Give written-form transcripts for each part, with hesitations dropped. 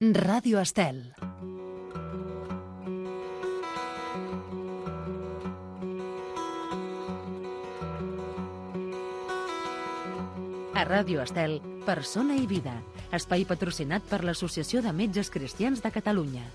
Ràdio Estel. A Ràdio Estel, Persona i Vida, espai patrocinat per l'Associació de Metges Cristians de Catalunya.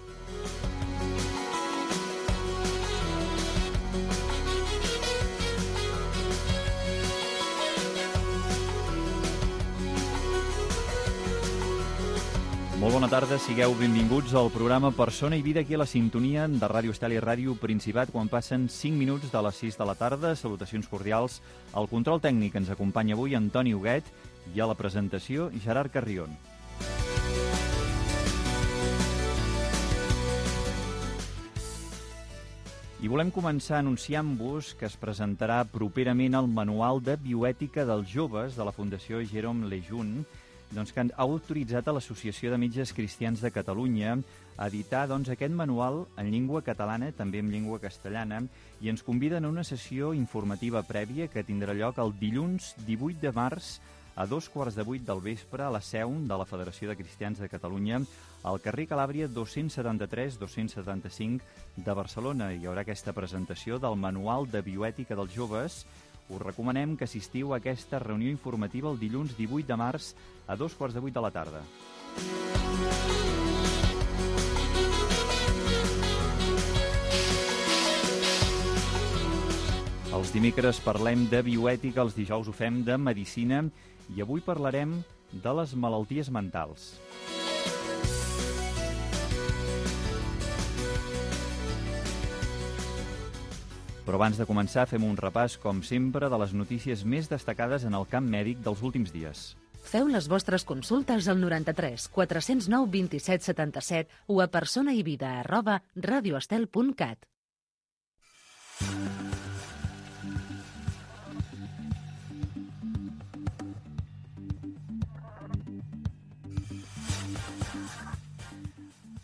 Molt bona tarda, sigueu benvinguts al programa Persona i Vida aquí a la sintonia de Ràdio Estel i Ràdio Principat quan passen 5 minuts de les 6 de la tarda. Salutacions cordials. Al control tècnic ens acompanya avui Antoni Huguet i a la presentació Gerard Carrion. I volem començar anunciant-vos que es presentarà properament el Manual de Bioètica dels Joves de la Fundació Jérôme Lejeune, que ha autoritzat a l'Associació de Metges Cristians de Catalunya a editar aquest manual en llengua catalana, també en llengua castellana, i ens conviden a una sessió informativa prèvia que tindrà lloc el dilluns 18 de març a 7:15 del vespre a la seu de la Federació de Cristians de Catalunya, al carrer Calàbria 273-275 de Barcelona. Hi haurà aquesta presentació del Manual de Bioètica dels Joves. Us recomanem que assistiu a aquesta reunió informativa el dilluns 18 de març a 7:15 de la tarda. Els dimecres parlem de bioètica, els dijous ho fem de medicina i avui parlarem de les malalties mentals. Però abans de començar fem un repàs, com sempre, de les notícies més destacades en el camp mèdic dels últims dies. Feu les vostres consultes al 93 409 27 77 o a personaivida@radioestel.cat.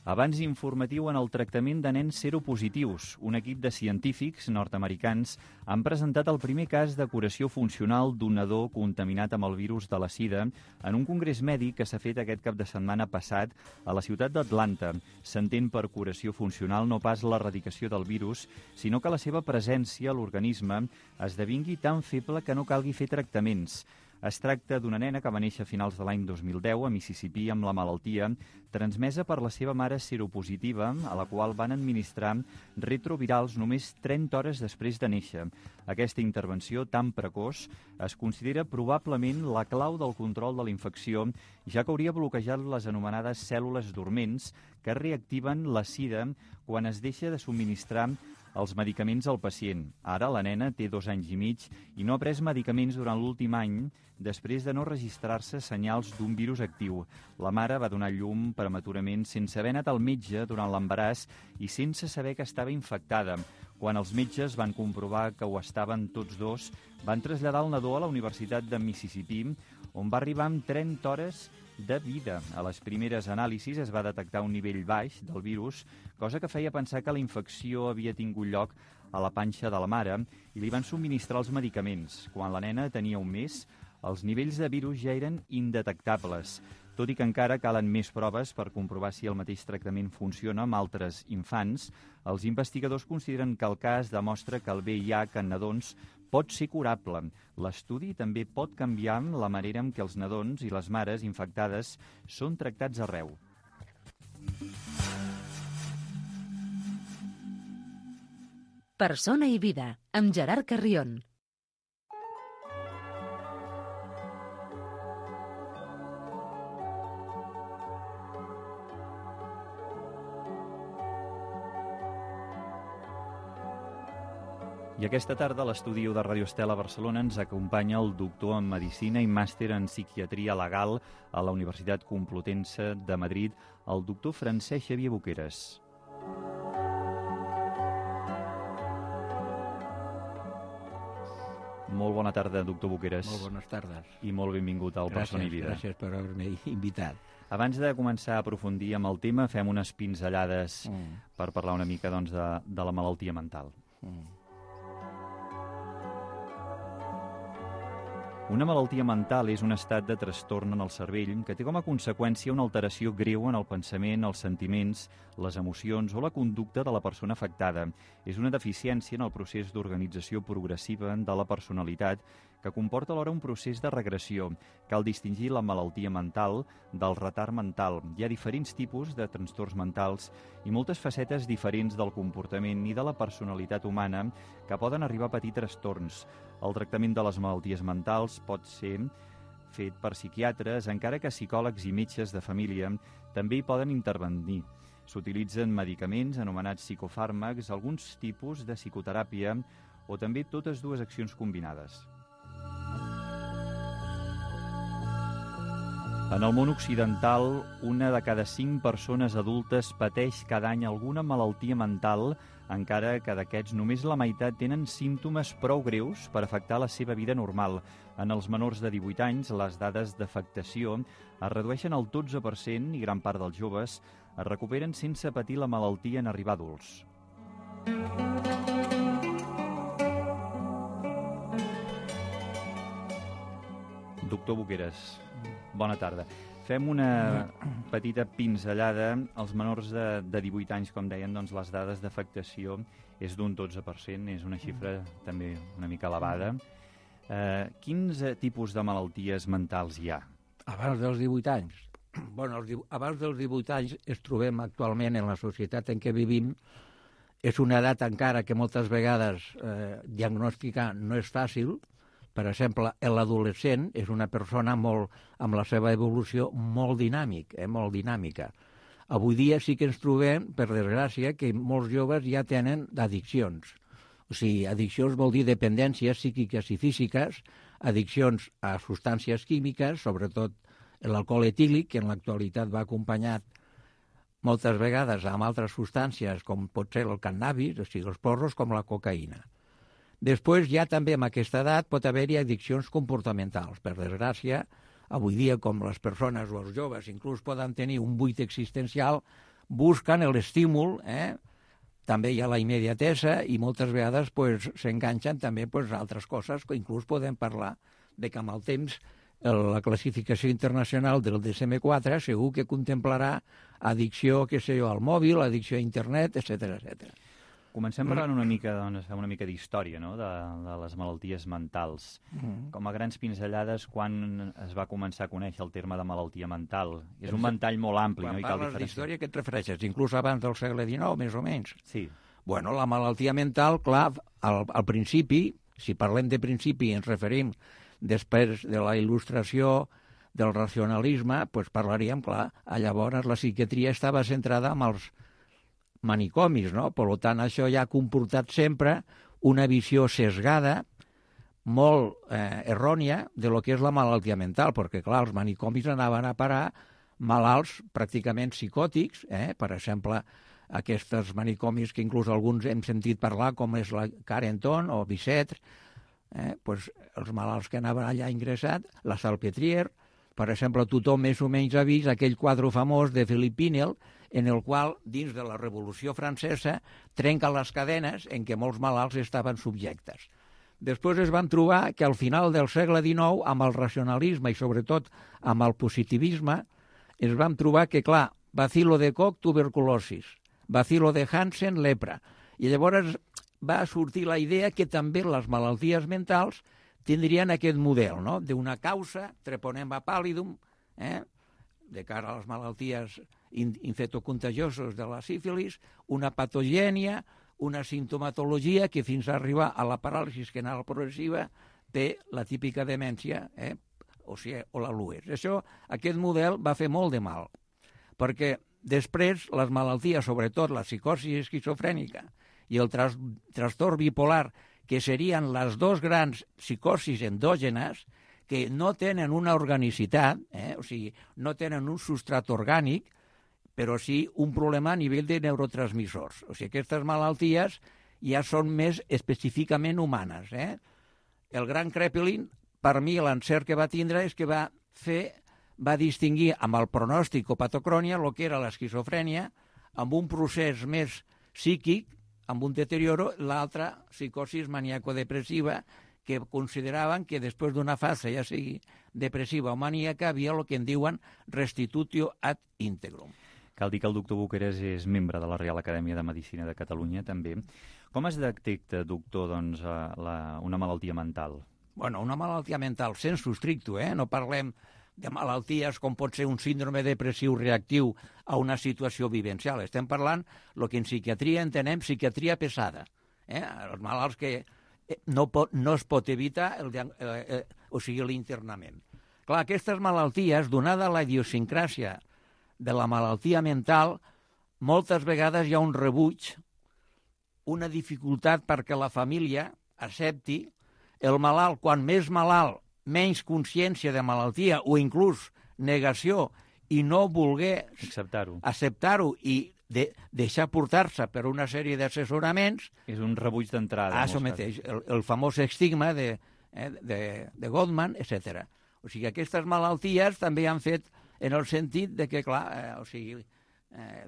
Abans informatiu en el tractament de nens seropositius. Un equip de científics nord-americans han presentat el primer cas de curació funcional d'un nadó contaminat amb el virus de la sida en un congrés mèdic que s'ha fet aquest cap de setmana passat a la ciutat d'Atlanta. S'entén per curació funcional no pas l'erradicació del virus, sinó que la seva presència a l'organisme esdevingui tan feble que no calgui fer tractaments. Es tracta d'una nena que va néixer a finals de l'any 2010 a Mississippi amb la malaltia, transmesa per la seva mare seropositiva, a la qual van administrar retrovirals només 30 hores després de néixer. Aquesta intervenció tan precoç es considera probablement la clau del control de la infecció, ja que hauria bloquejat les anomenades cèl·lules dorments que reactiven la sida quan es deixa de subministrar els medicaments al pacient. Ara la nena té 2 anys i mig i no ha pres medicaments durant l'últim any després de no registrar-se senyals d'un virus actiu. La mare va donar llum prematurament sense haver anat al metge durant l'embaràs i sense saber que estava infectada. Quan els metges van comprovar que ho estaven tots dos, van traslladar el nadó a la Universitat de Mississippi, on va arribar amb 30 hores de vida. A les primeres anàlisis es va detectar un nivell baix del virus, cosa que feia pensar que la infecció havia tingut lloc a la panxa de la mare i li van subministrar els medicaments. Quan la nena tenia un mes, els nivells de virus ja eren indetectables, tot i que encara calen més proves per comprovar si el mateix tractament funciona amb altres infants. Els investigadors consideren que el cas demostra que el VIH en nadons pot ser curable. L'estudi també pot canviar la manera en què els nadons i les mares infectades són tractats arreu. Persona i Vida, amb Gerard Carrion. I aquesta tarda a l'estudi de Ràdio Estel a Barcelona ens acompanya el doctor en Medicina i màster en Psiquiatria Legal a la Universitat Complutense de Madrid, el doctor Francesc Xavier Boqueras. Molt bona tarda, doctor Boqueras. Molt bones tardes. I molt benvingut al Persona i Vida. Gràcies per haver-me invitat. Abans de començar a aprofundir amb el tema, fem unes pinzellades per parlar una mica de la malaltia mental. Una malaltia mental és un estat de trastorn en el cervell que té com a conseqüència una alteració greu en el pensament, els sentiments, les emocions o la conducta de la persona afectada. És una deficiència en el procés d'organització progressiva de la personalitat que comporta alhora un procés de regressió. Cal distingir la malaltia mental del retard mental. Hi ha diferents tipus de trastorns mentals i moltes facetes diferents del comportament i de la personalitat humana que poden arribar a patir trastorns. El tractament de les malalties mentals pot ser fet per psiquiatres, encara que psicòlegs i metges de família també hi poden intervenir. S'utilitzen medicaments anomenats psicofàrmacs, alguns tipus de psicoteràpia o també totes dues accions combinades. En el món occidental, 1 de cada 5 persones adultes pateix cada any alguna malaltia mental, encara que d'aquests només la meitat tenen símptomes prou greus per afectar la seva vida normal. En els menors de 18 anys, les dades d'afectació es redueixen al 12% i gran part dels joves es recuperen sense patir la malaltia en arribar adults. Doctor Boqueras, bona tarda. Fem una petita pinzellada. Els menors de 18 anys, com deien, doncs les dades d'afectació és d'un 12%, és una xifra també una mica elevada. Quins tipus de malalties mentals hi ha? Abans dels 18 anys. Bueno, abans dels 18 anys es trobem actualment en la societat en què vivim. És una edat encara que moltes vegades diagnosticar no és fàcil. Per exemple, l'adolescent és una persona amb la seva evolució molt dinàmica. Avui dia sí que ens trobem, per desgràcia, que molts joves ja tenen addiccions. O sigui, addiccions vol dir dependències psíquiques i físiques, addiccions a substàncies químiques, sobretot l'alcohol etílic, que en l'actualitat va acompanyat moltes vegades amb altres substàncies, com pot ser el cannabis, o sigui, els porros, com la cocaïna. Després, ja també en aquesta edat pot haver-hi addiccions comportamentals. Per desgràcia, avui dia, com les persones o els joves inclús poden tenir un buit existencial, busquen l'estímul, també hi ha la immediatesa i moltes vegades s'enganxen també a altres coses, que inclús podem parlar de que amb el temps la classificació internacional del DSM-4 segur que contemplarà addicció, al mòbil, addicció a internet, etc. Comencem parlant una mica d'història, no?, de les malalties mentals. Com a grans pinzellades, quan es va començar a conèixer el terme de malaltia mental? És un ventall molt ampli, no? Quan parles d'història, què et refereixes? Inclús abans del segle XIX, més o menys? Sí. Bueno, la malaltia mental, clar, al principi, si parlem de principi i ens referim després de la il·lustració del racionalisme, doncs parlaríem, clar, llavors la psiquiatria estava centrada en els manicomis, no? Per tant, això ja ha comportat sempre una visió sesgada, molt errònia, de lo que és la malaltia mental, perquè, clar, els manicomis anaven a parar malalts pràcticament psicòtics, per exemple, aquests manicomis que inclús alguns hem sentit parlar, com és la Carenton o Bicêtre, els malalts que anaven allà ingressats, la Salpêtrière, per exemple, tothom més o menys ha vist aquell quadre famós de Philippe Pinel, en el qual, dins de la Revolució Francesa, trenca les cadenes en què molts malalts estaven subjectes. Després es van trobar que al final del segle XIX, amb el racionalisme i sobretot amb el positivisme, es van trobar que, clar, bacilo de Koch, tuberculosis, bacilo de Hansen, lepra. I llavors va sortir la idea que també les malalties mentals tindrien aquest model, no?, d'una causa, treponema pallidum, de cara a les malalties infectocontagiosos de la sífilis, una patogènia, una sintomatologia que fins a arribar a la paràlisi renal progressiva té la típica demència, o la LUES. Aquest model va fer molt de mal, perquè després les malalties, sobretot la psicosi esquizofrènica i el trastorn bipolar, que serien les dos grans psicosis endògenes, que no tenen una organicitat, o sigui, no tenen un substrat orgànic, però sí un problema a nivell de neurotransmissors. O sigui, aquestes malalties ja són més específicament humanes. El gran Kraepelin, per mi, l'encert que va tindre és que va distingir amb el pronòstic o patocrònia el que era l'esquizofrènia, amb un procés més psíquic, amb un deterioro, l'altra psicosis maniaco-depressiva, que consideraven que després d'una fase, ja sigui depressiva o maníaca, havia el que en diuen restitutio ad integrum. Cal dir que el doctor Boqueras és membre de la Reial Acadèmia de Medicina de Catalunya, també. Com es detecta, doctor, doncs, una malaltia mental? Bueno, una malaltia mental sensu stricto, no parlem de malalties com pot ser un síndrome depressiu reactiu a una situació vivencial. Estem parlant el que en psiquiatria entenem psiquiatria pesada. Els malalts que no es pot evitar l'internament. Clar, aquestes malalties, donada la idiosincràsia de la malaltia mental, moltes vegades hi ha un rebuig, una dificultat perquè la família accepti el malalt. Quan més malalt, menys consciència de malaltia o inclús negació i no voler acceptar-ho i deixar portar-se per una sèrie d'assessoraments. És un rebuig d'entrada. Això mateix, el famós estigma de Gottman, etc. O sigui, aquestes malalties també han fet en el sentit de que, clar,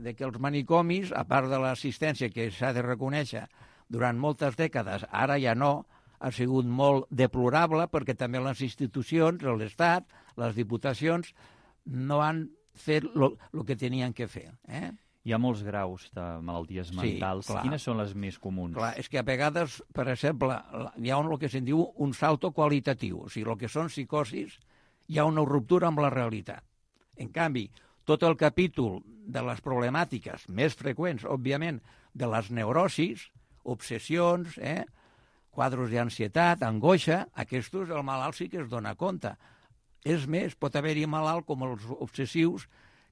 de que els manicomis, a part de l'assistència que s'ha de reconèixer durant moltes dècades, ara ja no, ha sigut molt deplorable perquè també les institucions, l'Estat, les diputacions, no han fet el que tenien que fer. Hi ha molts graus de malalties mentals. Sí, quines són les més comuns? Clar, és que a vegades, per exemple, hi ha el que se'n diu un salto qualitatiu. O sigui, el que són psicosis, hi ha una ruptura amb la realitat. En canvi, tot el capítol de les problemàtiques més freqüents, òbviament, de les neurosis, obsessions, quadros d'ansietat, angoixa, aquests el malalt sí que es dona compte. És més, pot haver-hi malalt com els obsessius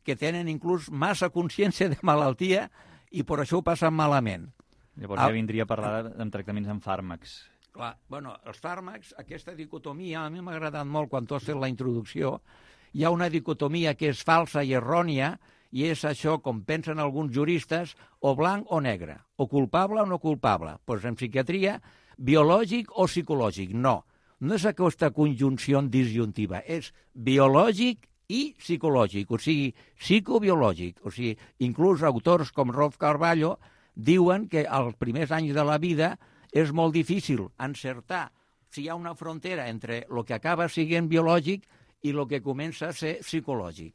que tenen inclús massa consciència de malaltia i per això ho passen malament. Llavors ja vindria a parlar de tractaments amb fàrmacs. Clar, bueno, els fàrmacs, aquesta dicotomia, a mi m'ha agradat molt quan tu has fet la introducció. Hi ha una dicotomia que és falsa i errònia i és això, com pensen alguns juristes, o blanc o negre, o culpable o no culpable. Doncs en psiquiatria, biològic o psicològic. No és aquesta conjunció disjuntiva, és biològic i psicològic, o sigui, psicobiològic. O sigui, inclús autors com Rolf Carballo diuen que als primers anys de la vida és molt difícil encertar si hi ha una frontera entre el que acaba sent biològic i el que comença a ser psicològic.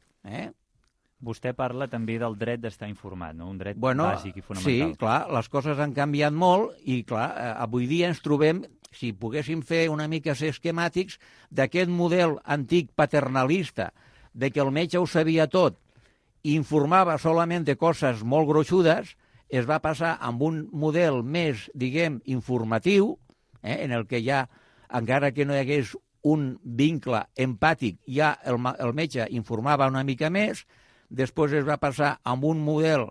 Vostè parla també del dret d'estar informat, no? Un dret bàsic i fonamental. Sí, clar, les coses han canviat molt i, clar, avui dia ens trobem, si poguéssim fer una mica ser esquemàtics, d'aquest model antic paternalista, de que el metge ho sabia tot i informava solament de coses molt gruixudes, es va passar amb un model més, diguem, informatiu, en el que ja, encara que no hi hagués un vincle empàtic, ja el metge informava una mica més. Després es va passar amb un model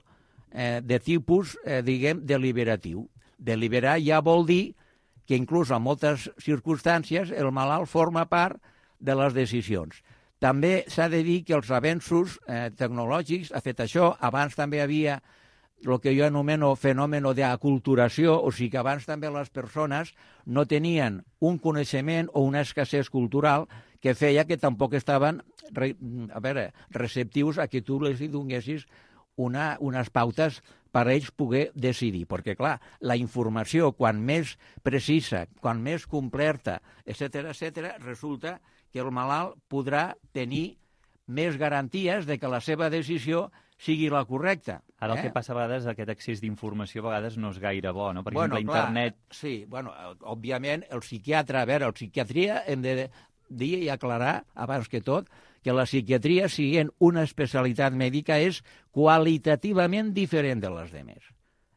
de tipus, diguem, deliberatiu. Deliberar ja vol dir que inclús en moltes circumstàncies el malalt forma part de les decisions. També s'ha de dir que els avenços tecnològics ha fet això. Abans també havia el que jo anomeno fenomen d'aculturació, o sigui que abans també les persones no tenien un coneixement o una escassez cultural que feia que tampoc estaven receptius a que tu els donessis unes pautes per a ells poder decidir. Perquè, clar, la informació, quan més precisa, quan més completa, etc., resulta que el malalt podrà tenir més garanties de que la seva decisió sigui la correcta. Ara el que passa a vegades, aquest excés d'informació a vegades no és gaire bo, no? Per exemple, internet... Sí, òbviament, el psiquiatre, la psiquiatria hem de dir i aclarar, abans que tot, que la psiquiatria, sent una especialitat mèdica, és qualitativament diferent de les demés.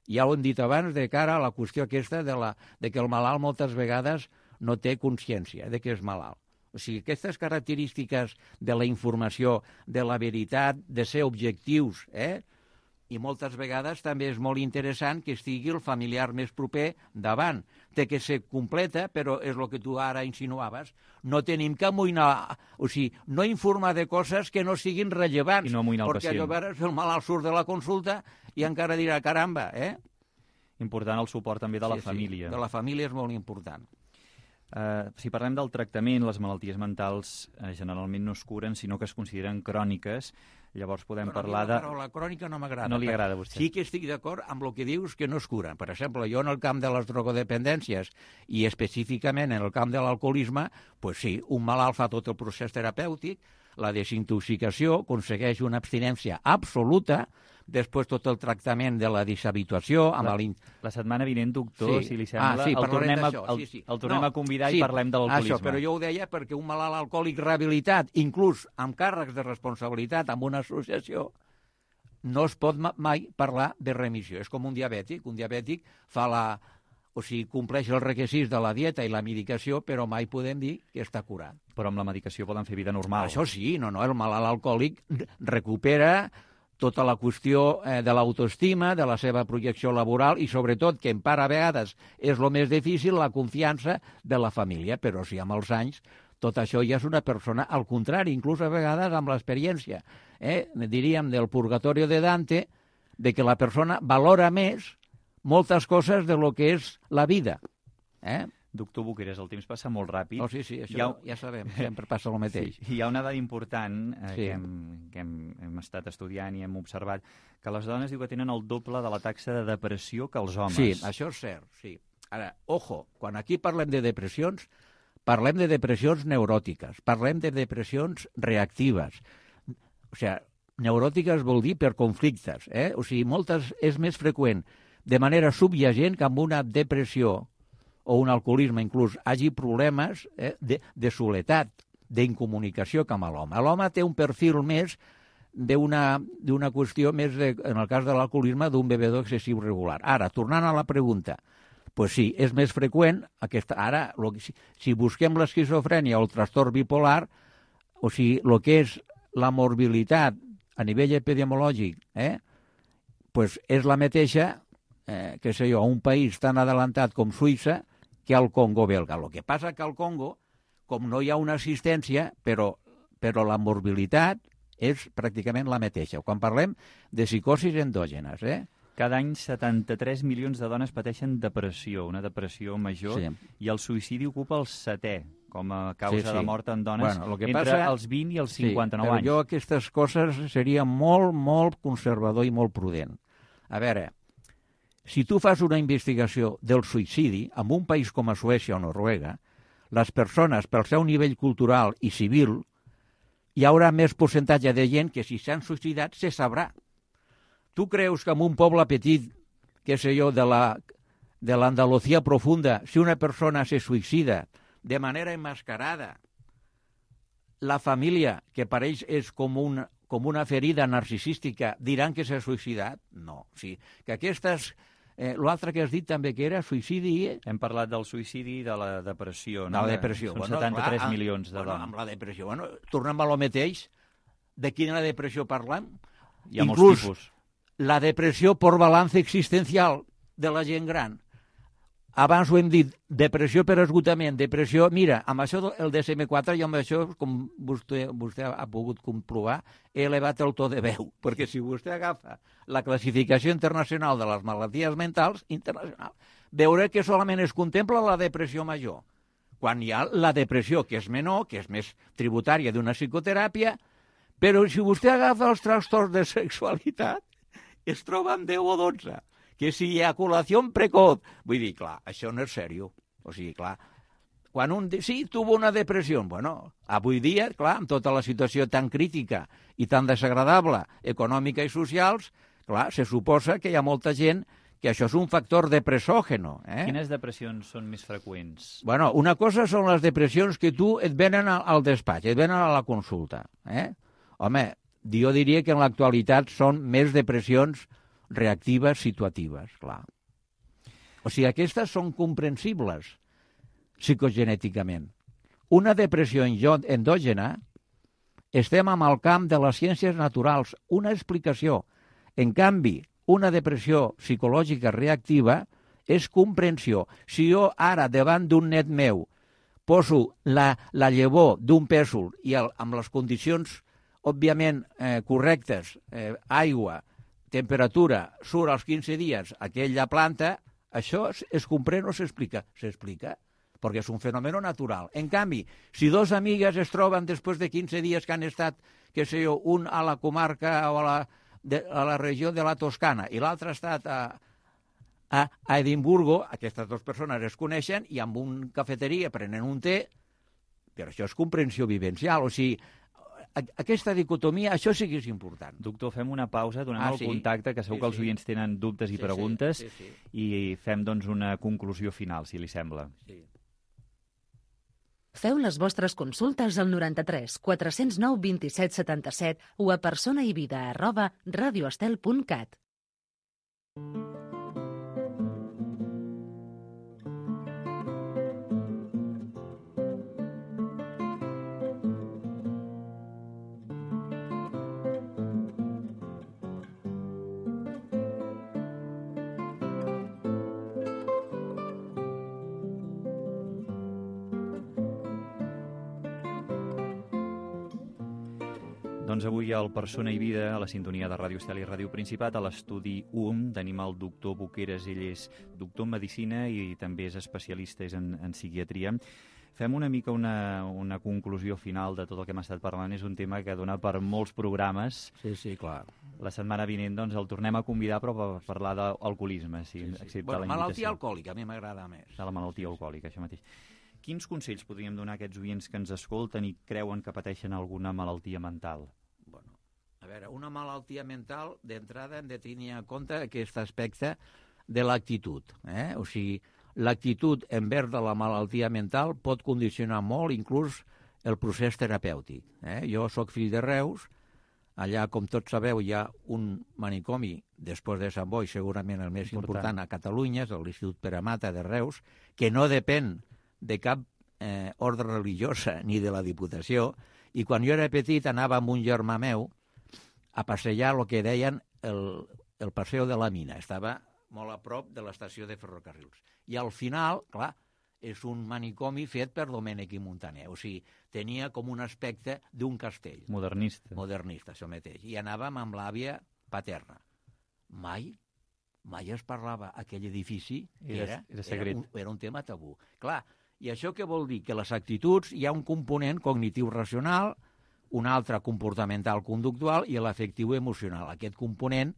Ja ho hem dit abans, de cara a la qüestió aquesta de que el malalt moltes vegades no té consciència de que és malalt. O sigui, aquestes característiques de la informació, de la veritat, de ser objectius, i moltes vegades també és molt interessant que estigui el familiar més proper davant. Té que ser completa, però és el que tu ara insinuaves. No tenim que amoïnar, o sigui, no informar de coses que no siguin rellevants. I no amoïnar el pacient. Perquè llavors el malalt surt de la consulta i encara dirà, caramba, Important el suport també de la família. Sí, de la família és molt important. Si parlem del tractament, les malalties mentals generalment no es curen, sinó que es consideren cròniques. Llavors podem parlar de... Però la crònica no m'agrada. No li agrada a vostè. Sí que estic d'acord amb el que dius que no es curen. Per exemple, jo en el camp de les drogodependències i específicament en el camp de l'alcoholisme, pues sí, un malalt fa tot el procés terapèutic, la desintoxicació, aconsegueix una abstinència absoluta, després tot el tractament de la deshabituació... La setmana vinent, doctor, si li sembla, el tornem a convidar i parlem de l'alcoholisme. Això, però jo ho deia perquè un malalt alcohòlic rehabilitat, inclús amb càrrecs de responsabilitat amb una associació, no es pot mai parlar de remissió. És com un diabètic. Un diabètic compleix els requisits de la dieta i la medicació, però mai podem dir que està curat. Però amb la medicació poden fer vida normal. Això sí, el malalt alcohòlic recupera tota la qüestió de l'autoestima, de la seva projecció laboral i, sobretot, que en part a vegades és el més difícil, la confiança de la família. Però si amb els anys tot això ja és una persona, al contrari, inclús a vegades amb l'experiència, diríem, del purgatorio de Dante, de que la persona valora més moltes coses de lo que és la vida. Doctor Boqueras, el temps passa molt ràpid. Sí, això ja sabem, sempre passa el mateix. Sí, hi ha una dada important que hem estat estudiant i hem observat, que les dones diu que tenen el doble de la taxa de depressió que els homes. Sí, això és cert, sí. Ara, ojo, quan aquí parlem de depressions neuròtiques, parlem de depressions reactives. O sigui, neuròtiques vol dir per conflictes, O sigui, moltes és més freqüent de manera subyacent que amb una depressió o un alcoholisme inclús hagi problemes de soledat, d'incomunicació com a l'home. L'home té un perfil més d'una qüestió més, en el cas de l'alcoholisme, d'un bevedor excessiu regular. Ara, tornant a la pregunta, pues sí, és més freqüent. Ara, si busquem l'esquizofrènia o el trastorn bipolar, o sigui, el que és la morbilitat a nivell epidemiològic, pues és la mateixa, que sé jo, a un país tan adelantat com Suïssa, que al Congo belga. El que passa que al Congo, com no hi ha una assistència, però la morbilitat és pràcticament la mateixa. Quan parlem de psicosis endògenes, Cada any 73 milions de dones pateixen depressió, una depressió major, i el suïcidi ocupa el 7è com a causa de mort en dones entre els 20 i els 59 anys. Jo aquestes coses seria molt, molt conservador i molt prudent. A veure, si tu fas una investigació del suïcidi en un país com a Suècia o Noruega, les persones, pel seu nivell cultural i civil, hi haurà més percentatge de gent que si s'han suïcidat se sabrà. Tu creus que en un poble petit, què sé jo, de l'Andalusia profunda, si una persona se suïcida de manera emmascarada, la família, que per ells és com una ferida narcisística, diran que s'ha suïcidat? No. Sí, que aquestes... L'altre que has dit també que era suïcidi... Hem parlat del suïcidi i de la depressió. De la depressió. Són 73 milions de dones. Amb la depressió. Tornem a lo mateix. De quina depressió parlem? Hi ha molts tipus. La depressió per balanç existencial de la gent gran. Abans ho hem dit, depressió per esgotament, depressió... Mira, amb això el DSM-4, jo amb això, com vostè ha pogut comprovar, he elevat el to de veu, perquè si vostè agafa la classificació internacional de les malalties mentals, veurà que solament es contempla la depressió major, quan hi ha la depressió, que és menor, que és més tributària d'una psicoteràpia, però si vostè agafa els trastorns de sexualitat, es troba amb 10 o 12. Que si eyaculació precoz... Vull dir, clar, això no és seriós. O sigui, clar, quan sí, tuvo una depressió. Bueno, avui dia, clar, amb tota la situació tan crítica i tan desagradable, econòmica i socials, clar, se suposa que hi ha molta gent que això és un factor depressògeno. Quines depressions són més freqüents? Bueno, una cosa són les depressions que tu et venen al despatx, et venen a la consulta. Home, jo diria que en l'actualitat són més depressions reactives, situatives, clar. O sigui, aquestes són comprensibles psicogenèticament. Una depressió endògena, estem amb el camp de les ciències naturals, una explicació. En canvi, una depressió psicològica reactiva és comprensió. Si jo ara, davant d'un net meu, poso la llavor d'un pèsol i amb les condicions, òbviament, correctes, aigua, temperatura, surt als 15 dies aquella planta, això es comprèn o s'explica? S'explica, perquè és un fenomen natural. En canvi, si dos amigues es troben després de 15 dies que què sé jo, un a la comarca o a la regió de la Toscana i l'altre ha estat a Edimburgo, aquestes dues persones es coneixen i amb un cafeteria prenen un té, però això és comprensió vivencial, o sigui, aquesta dicotomia, això sí que és important. Doctor, fem una pausa, donem el contacte, que segur que els oients tenen dubtes i preguntes, i fem doncs una conclusió final, si li sembla. Sí. Feu les vostres consultes al 93 409 27 77 o a personaivida@radioestel.cat. Doncs avui al Persona i Vida, a la sintonia de Ràdio Estel i Ràdio Principat, a l'estudi UM, tenim el doctor Boqueras. Ell és doctor en Medicina i també és especialista en psiquiatria. Fem una mica una conclusió final de tot el que hem estat parlant. És un tema que dona per molts programes. Sí, clar. La setmana vinent doncs, el tornem a convidar, però per parlar d'alcoholisme. Bueno, malaltia alcohòlica, a mi m'agrada més. De la malaltia alcohòlica, això mateix. Quins consells podríem donar a aquests oients que ens escolten i creuen que pateixen alguna malaltia mental? Bueno, a veure, una malaltia mental, d'entrada hem de tenir en compte aquest aspecte de l'actitud. O sigui, l'actitud envers de la malaltia mental pot condicionar molt, inclús, el procés terapèutic. Jo sóc fill de Reus, allà, com tots sabeu, hi ha un manicomi, després de Sant Boi, segurament el més important a Catalunya, és l'Institut Pere Mata de Reus, que no depèn de cap ordre religiosa ni de la Diputació, i quan jo era petit anava amb un germà meu a passejar el que deien el Paseo de la Mina. Estava molt a prop de l'estació de ferrocarrils. I al final, clar, és un manicomi fet per Domènech i Montaner. O sigui, tenia com un aspecte d'un castell. Modernista. Modernista, això mateix. I anàvem amb l'àvia paterna. Mai es parlava aquell edifici, era secret. Era un tema tabú. Clar, i això què vol dir? Que les actituds hi ha un component cognitiu-racional, un altre comportamental-conductual i l'afectiu emocional. Aquest component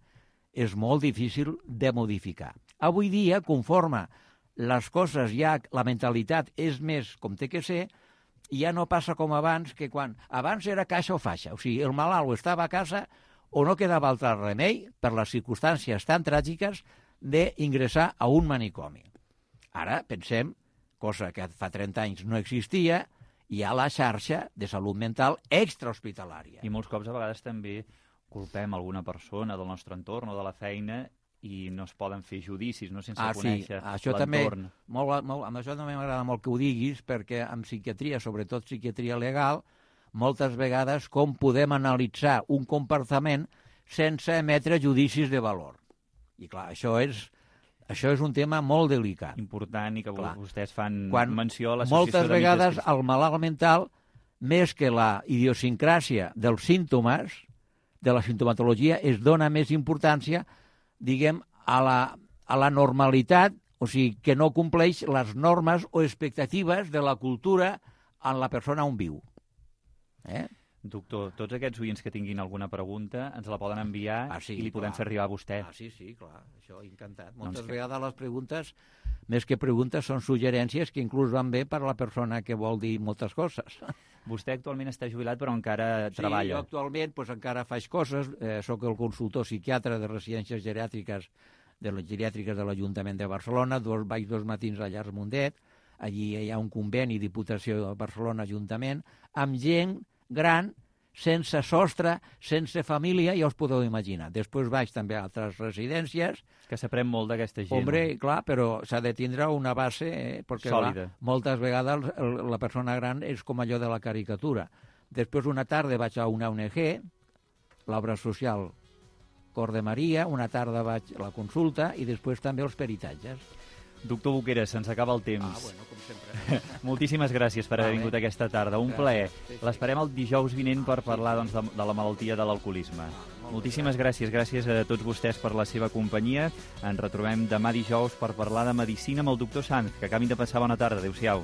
és molt difícil de modificar. Avui dia, conforme les coses ja, la mentalitat és més com té que ser, ja no passa com abans, que quan abans era caixa o faixa. O sigui, el malalt estava a casa o no quedava altre remei, per les circumstàncies tan tràgiques, d'ingressar a un manicomi. Ara pensem, cosa que fa 30 anys no existia, hi ha la xarxa de salut mental extrahospitalària. I molts cops a vegades també culpem alguna persona del nostre entorn o de la feina i no es poden fer judicis, no, sense conèixer l'entorn. Amb això també m'agrada molt que ho diguis, perquè en psiquiatria, sobretot psiquiatria legal, moltes vegades com podem analitzar un comportament sense emetre judicis de valor. I clar, això és un tema molt delicat. Important, i que vostès fan menció a l'associació de metges. Moltes vegades el malalt mental, més que la idiosincràsia dels símptomes, de la simptomatologia, es dona més importància, diguem, a la normalitat, o sigui, que no compleix les normes o expectatives de la cultura en la persona on viu. Doctor, tots aquests oients que tinguin alguna pregunta ens la poden enviar i li podem fer arribar a vostè. Sí, clar, això encantat. Moltes vegades les preguntes, més que preguntes, són suggerències que inclús van bé per a la persona que vol dir moltes coses. Vostè actualment està jubilat però encara treballa. Sí, jo actualment encara faig coses. Soc el consultor psiquiatre de residències geriàtriques de l'Ajuntament de Barcelona. Vaig 2 matins a Llars Mundet. Allí hi ha un conveni, Diputació de Barcelona, Ajuntament, amb gent gran, sense sostre, sense família, ja us podeu imaginar. Després vaig també a altres residències. És que s'aprèn molt d'aquesta gent. Hombre, clar, però s'ha de tindre una base perquè sòlida. Moltes vegades la persona gran és com allò de la caricatura. Després una tarda vaig a una ONG, l'obra social Cor de Maria, una tarda vaig a la consulta i després també els peritatges. Doctor Boqueras, se'ns acaba el temps. Bueno, com sempre. Moltíssimes gràcies per haver vingut aquesta tarda. Un plaer. L'esperem el dijous vinent per parlar de la malaltia de l'alcoholisme. Moltíssimes gràcies. Gràcies a tots vostès per la seva companyia. Ens retrobem demà dijous per parlar de medicina amb el doctor Sanz. Que acabin de passar bona tarda. Adéu-siau.